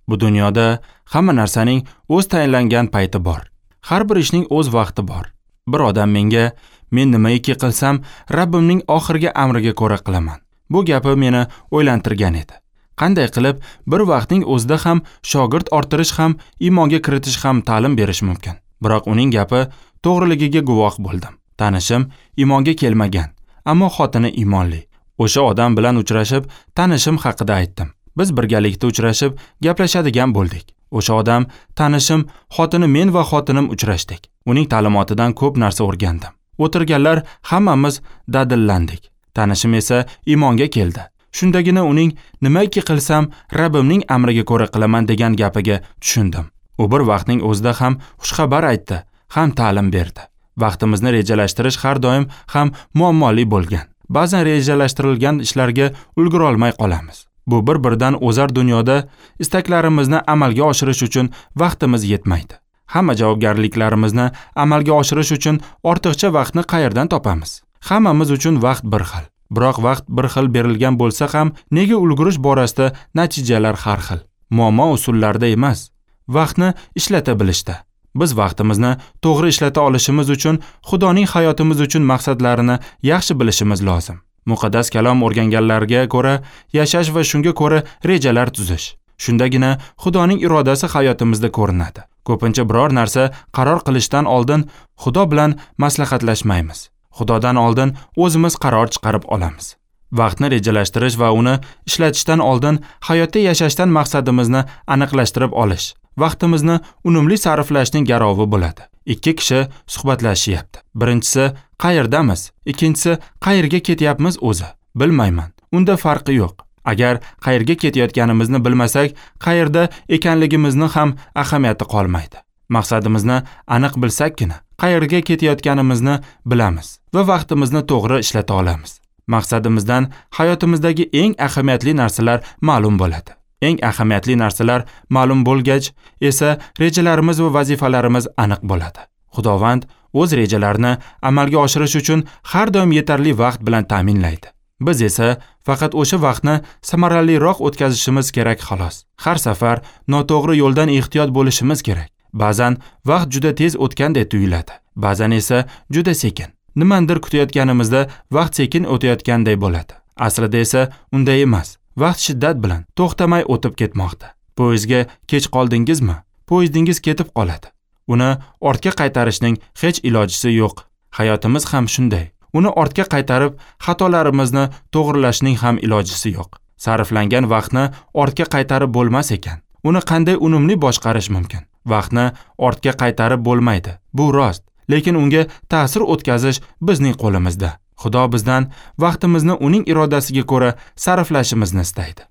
Bu dunyoda hamma narsaning o'z tayinlangan payti bor. Har bir ishning o'z vaqti bor. Bir odam menga, men nimaiki qilsam, Rabbimning oxirgi amriga ko'ra qilaman. Bu gapi meni o'ylantirgan edi. Qanday qilib bir vaqtning o'zida ham shogird orttirish ham, iymonga kiritish ham ta'lim berish mumkin? Biroq uning gapi to'g'riligiga guvoh bo'ldim. Tanishim iymonga kelmagan, ammo xotini iymonli. O'sha odam bilan uchrashib, tanishim haqida aytdim. Biz birgalikda uchrashib, gaplashadigan bo'ldik. O'sha odam, tanishim, xotini men va xotinim uchrashdik. Uning ta'limotidan ko'p narsa o'rgandim. O'tirganlar hammamiz dadillandik. Tanishim esa iymonga keldi. Shundagina uning nimaiki qilsam, Rabbimning amriga ko'ra qilaman degan gapiga tushundim. U bir vaqtning o'zida ham xushxabar aytdi, ham ta'lim berdi. Vaqtimizni rejalashtirish har doim ham muammoli bo'lgan. Ba'zan rejalashtirilgan ishlarga ulgura olmay qolamiz. Bu bir-birdan o'zar dunyoda istaklarimizni amalga oshirish uchun vaqtimiz yetmaydi. Hamma javobgarliklarimizni amalga oshirish uchun ortiqcha vaqtni qayerdan topamiz? Hammamiz uchun vaqt bir xil. Biroq vaqt bir xil berilgan bo'lsa ham, nega ulgurish borasida natijalar har xil? Muammo usullarda emas, vaqtni ishlata bilishda. Biz vaqtimizni to'g'ri ishlata olishimiz uchun Xudoning hayotimiz uchun maqsadlarini yaxshi bilishimiz lozim. Muqaddas kalom o'rganganlarga ko'ra yashash va shunga ko'ra rejalar tuzish. Shundagina Xudoning irodasi hayotimizda ko'rinadi. Ko'pincha biror narsa qaror qilishdan oldin Xudo bilan maslahatlashmaymiz. Xudodan oldin o'zimiz qaror chiqarib olamiz. Vaqtni rejalashtirish va uni ishlatishdan oldin hayotda yashashdan maqsadimizni aniqlashtirib olish, vaqtimizni unumli sarflashning garovi bo'ladi. Ikki kishi suhbatlashyapti. Birinchisi qayerdamiz, ikkinchisi qayerga ketyapmiz o'zi? Bilmayman. Unda farqi yo'q. Agar qayerga ketayotganimizni bilmasak, qayerda ekanligimizni ham ahamiyati qolmaydi. Maqsadimizni aniq bilsakkina, qayerga ketayotganimizni bilamiz va vaqtimizni to'g'ri ishlata olamiz. Maqsadimizdan hayotimizdagi eng ahamiyatli narsalar ma'lum bo'ladi. Eng ahamiyatli narsalar ma'lum bo'lgach esa rejalarimiz va vazifalarimiz aniq bo'ladi. Xudovand o'z rejalarini amalga oshirish uchun har doim yetarli vaqt bilan ta'minlaydi. Biz esa faqat o'sha vaqtni samaraliroq o'tkazishimiz kerak xolos. Har safar noto'g'ri yo'ldan ehtiyot bo'lishimiz kerak. Ba'zan vaqt juda tez o'tganday tuyuladi, ba'zan esa juda sekin. Nimandir kutayotganimizda vaqt sekin o'tayotganday bo'ladi. Aslida esa unday emas. Vaqt shiddat bilan to'xtamay o'tib ketmoqda. Poyezdga kech qoldingizmi? Poyezdingiz ketib qoladi. Uni ortga qaytarishning hech ilojisi yo'q. Hayotimiz ham shunday. Uni ortga qaytarib, xatolarimizni to'g'rilashning ham ilojisi yo'q. Sarflangan vaqtni ortga qaytarib bo'lmas ekan. Uni qanday unumli boshqarish mumkin? Vaqtni ortga qaytarib bo'lmaydi. Bu rost, lekin unga ta'sir o'tkazish bizning qo'limizda. Xudo bizdan vaqtimizni uning irodasiga ko'ra sarflashimizni istaydi.